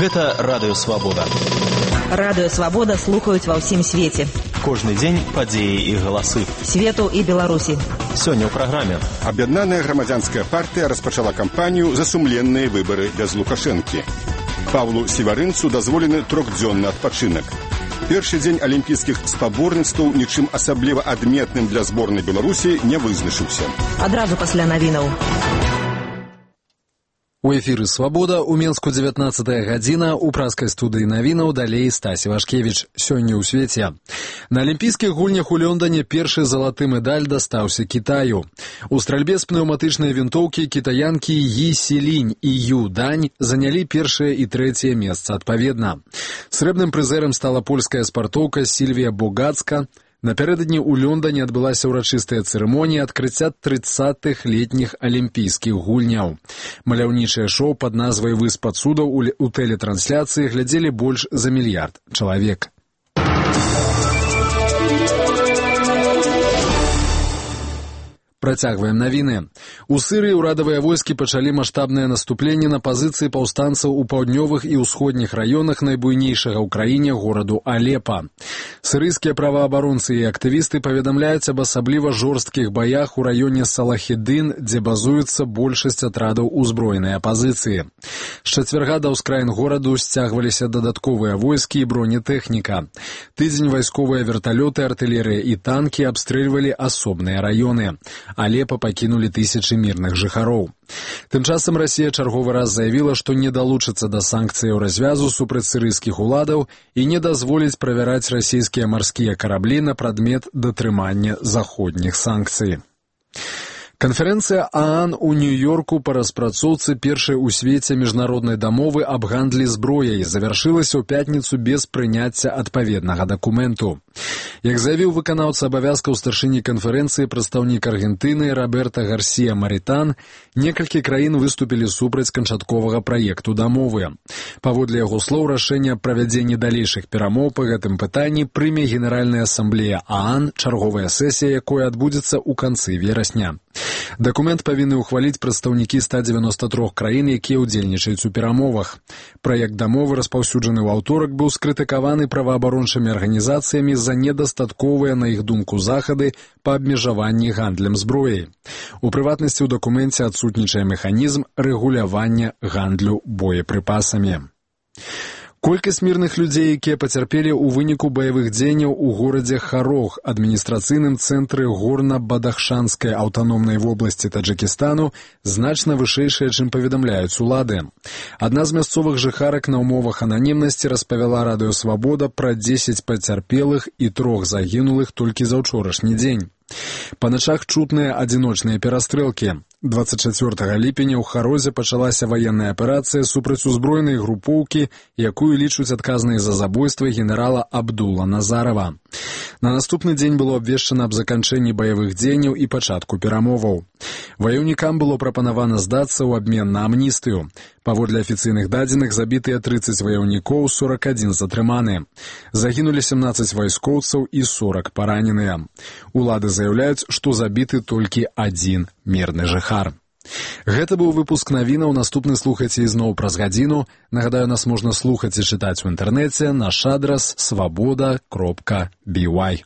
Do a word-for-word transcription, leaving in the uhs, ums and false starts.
Гэта Радыё Свабода. Радыё Свабода слухаюць ва ўсім свеце. Кожны дзень падзеі і галасы. Свету і Беларусі. Сёння ў праграме. Аб'яднаная грамадзянская партыя распачала кампанію за сумленныя выбары без Лукашэнкі. Павлу Севарынцу дазволены трохдзённы адпачынак. Першы дзень алімпійскіх спаборніцтваў нічым асабліва адметным для зборнай Беларусі не вызначыўся. Адразу пасля навінаў. У эфіры «Свабода» у Менску дзевятнаццатая гадзіна, у праскай студыі навінаў далей Стась Івашкевіч. Сёння ў свеце. На алімпійскіх гульнях у Лондоне першы залаты медаль дастаўся Кітаю. У стральбе з пнеўматычнай вінтоўкі кітаянкі Йі Сілінь і Ю Дань занялі першае і трэцяе месца адпаведна. Срэбным прызэрам стала польская спартоўка Сільвія Богацка. Напярэдадні ў Лондоне адбылася ўрачыстая цырымонія адкрыцця трыццатых летніх алімпійскіх гульняў. Маляўнічае шоу пад назвай «Выспа цудаў» у тэлетрансляцыі глядзелі больш за мільярд чалавек. Працягваем навіны. У Сырыі ўрадавыя войскі пачалі маштабнае наступленне на пазіцыі паўстанцаў у паўднёвых і ўсходніх раёнах найбуйнейшага ў краіне гораду Алепа. Сырыйскія праваабаронцы і актывісты паведамляюць аб асабліва жорсткіх баях у раёне Салахедын, дзе базуецца большасць атрадаў узброенай апазіцыі. З чацвярга да ўскраін гораду сцягваліся дадатковыя войскі і бронетэхніка. Тыдзень вайсковыя верталёты, артылерыя і танкі абстрэльвалі асобныя раёны. Алепа пакінулі тысячы мірных жыхароў. Тым часам Расія чарговы раз заявіла, што не далучыцца да санкцыяў развязу супраць сірыйскіх уладаў і не дазволіць правяраць расійскія марскія караблі на прадмет датрымання заходніх санкцый. Канферэнцыя ААН у Нью-Йорку па распрацоўцы першай у свеце міжнароднай дамовы аб гандлі зброяй завяршылася ў пятніцу без прыняцця адпаведнага дакументу. Як заявіў выканаўца абавязкаў старшыні канферэнцыі прадстаўнік Аргентыны Роберта Гарсія Марітан, некалькі краін выступілі супраць канчатковага праекту дамовы. Паводле яго слоў, рашэнне аб правядзенні далейшых перамоў па гэтым пытанні прыме Генеральная асамблея ААН, чарговая сесія якой адбудзецца ў канцы верасня. Дакумент павінны ўхваліць прадстаўнікі ста дзевяноста трох краін, якія ўдзельнічаюць у перамовах. Праект дамовы, распаўсюджаны ў аўторак, быў скрытыкаваны праваабарончымі арганізацыямі за недастатковыя, на іх думку, захады па абмежаванні гандлем зброяй. У прыватнасці, ў дакуменце адсутнічае механізм рэгулявання гандлю боепрыпасамі. Колькасць мірных людзей, якія пацярпелі ў выніку баявых дзеянняў у горадзе Харог, адміністрацыйным цэнтры горна-бадахшанскай аўтаномнай вобласці Таджыкістану, значна вышэйшая, чым паведамляюць улады. Адна з мясцовых жыхарак на ўмовах ананімнасці распавяла Радыё Свабода пра дзесяць пацярпелых і трох загінулых толькі за ўчорашні дзень. Па начах чутныя адзіночныя перастрэлкі. дваццаць чацвёртага ліпеня ў Харозе пачалася ваенная аперацыя супраць узброенай групоўкі, якую лічуць адказнай за забойства генерала Абдула Назарова. На наступны дзень было абвешчана аб заканчэнні баявых дзеянняў і пачатку перамоваў. Ваяўнікам было прапанавана здацца ў абмен на амністыю. Паводле афіцыйных дадзеных забітыя трыццаць ваяўнікоў, сорак адзін затрыманы. Загінулі сямнаццаць вайскоўцаў і сорак параненыя. Улады заяўляюць, што забіты толькі адзін мірны жыхар. Гэта быў выпуск навінаў, наступны слухайце ізноў праз гадзіну. Нагадаю, нас можна слухаць і чытаць у інтэрнэце, наш адрас свабода кропка бі вай.